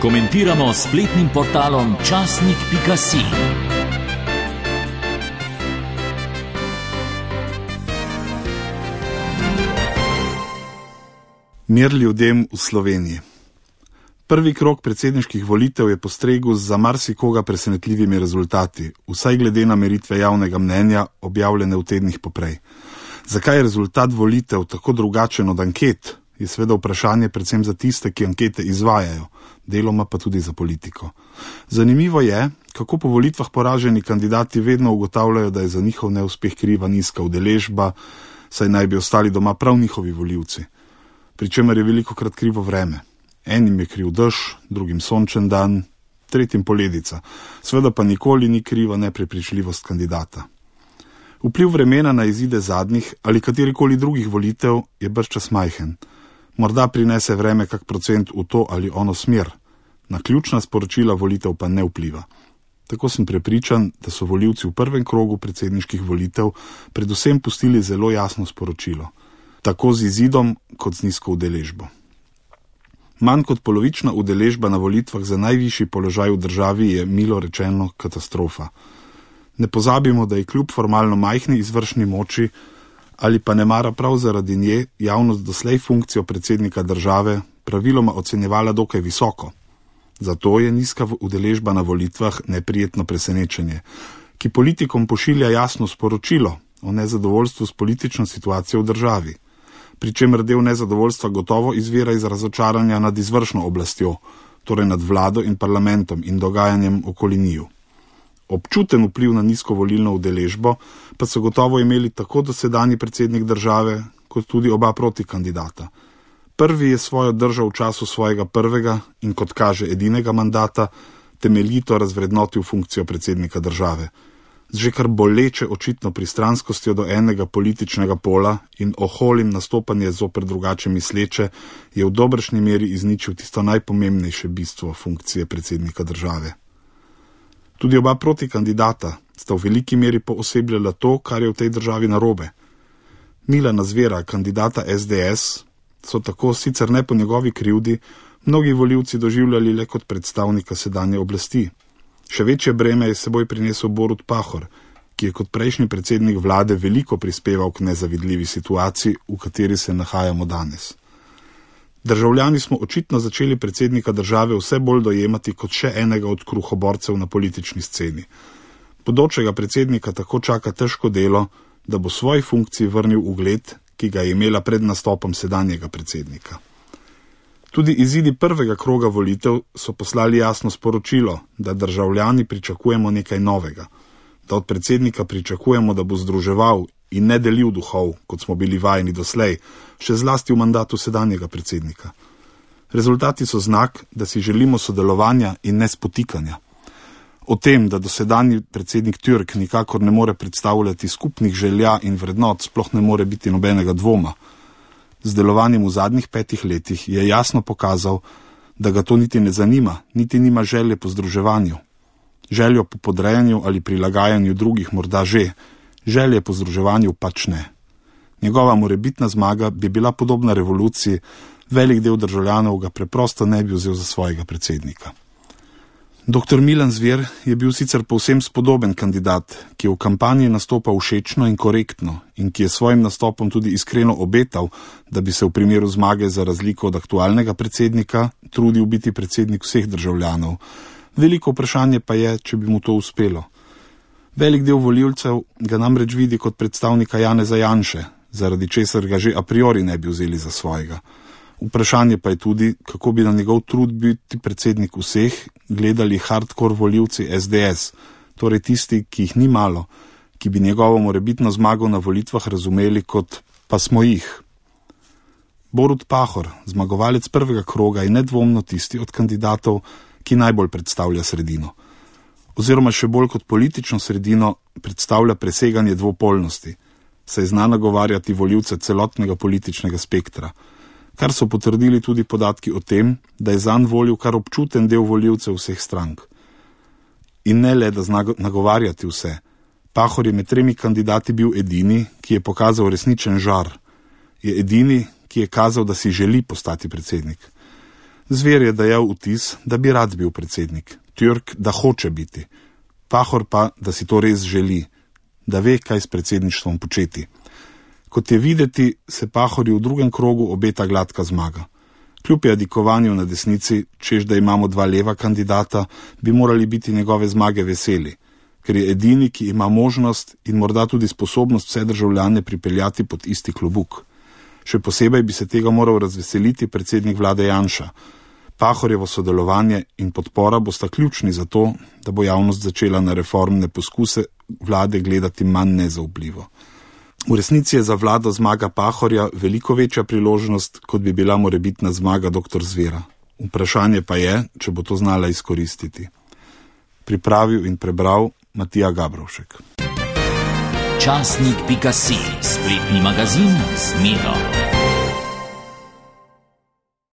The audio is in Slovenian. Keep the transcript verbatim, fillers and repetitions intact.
Komentiramo s spletnim portalom časnik pika si. Mir ljudem v Sloveniji. Prvi krog predsedniških volitev je postregel z za marsikoga presenetljivimi rezultati, vsaj glede na meritve javnega mnenja, objavljene v tednih poprej. Zakaj je rezultat volitev tako drugačen od anket, je seveda vprašanje predvsem za tiste, ki ankete izvajajo, deloma pa tudi za politiko. Zanimivo je, kako po volitvah poraženi kandidati vedno ugotavljajo, da je za njihov neuspeh kriva nizka udeležba, saj naj bi ostali doma prav njihovi volivci. Pričemer je velikokrat krivo vreme. Enim je kriv dež, drugim sončen dan, tretjim poledica. Seveda pa nikoli ni kriva neprepričljivost kandidata. Vpliv vremena na izide zadnjih ali katerikoli drugih volitev je bržčas majhen. Morda prinese vreme kak procent v to ali ono smer. Na ključna sporočila volitev pa ne vpliva. Tako sem prepričan, da so volivci v prvem krogu predsedniških volitev predvsem pustili zelo jasno sporočilo. Tako z izidom kot z nizko udeležbo. Manj kot polovična udeležba na volitvah za najvišji položaj v državi je milo rečeno katastrofa. Ne pozabimo, da je kljub formalno majhni izvršni moči ali pa nemara prav zaradi nje javnost doslej funkcijo predsednika države praviloma ocenjevala dokaj visoko. Zato je nizka udeležba na volitvah neprijetno presenečenje, ki politikom pošilja jasno sporočilo o nezadovoljstvu s politično situacijo v državi. Pričemer del nezadovoljstva gotovo izvira iz razočaranja nad izvršno oblastjo, torej nad vlado in parlamentom in dogajanjem okoli njiju. Občuten vpliv na nizko volilno udeležbo pa so gotovo imeli tako dosedanji predsednik države, kot tudi oba protikandidata. Prvi je svojo držo v času svojega prvega in kot kaže edinega mandata temeljito razvrednotil funkcijo predsednika države. Z že kar boleče očitno pristranskostjo do enega političnega pola in oholim nastopanje zoper drugače misleče je v dobršni meri izničil tisto najpomembnejše bistvo funkcije predsednika države. Tudi oba protikandidata sta v veliki meri poosebljala to, kar je v tej državi narobe. Milana Zvera, kandidata es de es, so tako sicer ne po njegovi krivdi mnogi volivci doživljali le kot predstavnika sedanje oblasti. Še večje breme je seboj prinesel Borut Pahor, ki je kot prejšnji predsednik vlade veliko prispeval k nezavidljivi situaciji, v kateri se nahajamo danes. Državljani smo očitno začeli predsednika države vse bolj dojemati kot še enega od kruhoborcev na politični sceni. Bodočega predsednika tako čaka težko delo, da bo svoji funkciji vrnil ugled, ki ga je imela pred nastopom sedanjega predsednika. Tudi izidi prvega kroga volitev so poslali jasno sporočilo, da državljani pričakujemo nekaj novega, da od predsednika pričakujemo, da bo združeval in ne delil duhov, kot smo bili vajeni doslej, še zlasti v mandatu sedanjega predsednika. Rezultati so znak, da si želimo sodelovanja in ne spotikanja. O tem, da dosedanji predsednik Türk nikakor ne more predstavljati skupnih želja in vrednot, sploh ne more biti nobenega dvoma. Z delovanjem v zadnjih petih letih je jasno pokazal, da ga to niti ne zanima, niti nima želje po združevanju. Željo po podrejanju ali prilagajanju drugih morda že, želje po združevanju pač ne. Njegova morebitna zmaga bi bila podobna revoluciji, velik del državljanov ga preprosto ne bi vzel za svojega predsednika. Doktor Milan Zver je bil sicer povsem spodoben kandidat, ki je v kampanji nastopal všečno in korektno in ki je svojim nastopom tudi iskreno obetal, da bi se v primeru zmage za razliko od aktualnega predsednika trudil biti predsednik vseh državljanov. Veliko vprašanje pa je, če bi mu to uspelo. Velik del volivcev ga namreč vidi kot predstavnika Janeza Janše, zaradi česar ga že a priori ne bi vzeli za svojega. Vprašanje pa je tudi, kako bi na njegov trud biti predsednik vseh gledali hardcore volivci es de es, torej tisti, ki jih ni malo, ki bi njegovo morebitno zmago na volitvah razumeli kot pa smo jih. Borut Pahor, zmagovalec prvega kroga, je nedvomno tisti od kandidatov, ki najbolj predstavlja sredino. Oziroma še bolj kot politično sredino predstavlja preseganje dvopolnosti, saj zna nagovarjati volivce celotnega političnega spektra, kar so potrdili tudi podatki o tem, da je zanj volil kar občuten del volivcev vseh strank. In ne le, da zna nagovarjati vse. Pahor je med tremi kandidati bil edini, ki je pokazal resničen žar. Je edini, ki je kazal, da si želi postati predsednik. Zver je dajal vtis, da bi rad bil predsednik, Türk, da hoče biti, Pahor pa, da si to res želi, da ve, kaj s predsedništvom početi. Kot je videti, se Pahorju v drugem krogu obeta gladka zmaga. Kljub jadikovanju na desnici, čež da imamo dva leva kandidata, bi morali biti njegove zmage veseli, ker je edini, ki ima možnost in morda tudi sposobnost vse državljane pripeljati pod isti klobuk. Še posebej bi se tega moral razveseliti predsednik vlade Janša. Pahorjevo sodelovanje in podpora bosta ključni za to, da bo javnost začela na reformne poskuse vlade gledati manj nezaupljivo. V resnici je za vlado zmaga Pahorja veliko večja priložnost, kot bi bila morebitna zmaga doktor Zvera. Vprašanje pa je, če bo to znala izkoristiti. Pripravil in prebral Matija Gabrovšek. Časnik pika si, spletni magazin z Miro.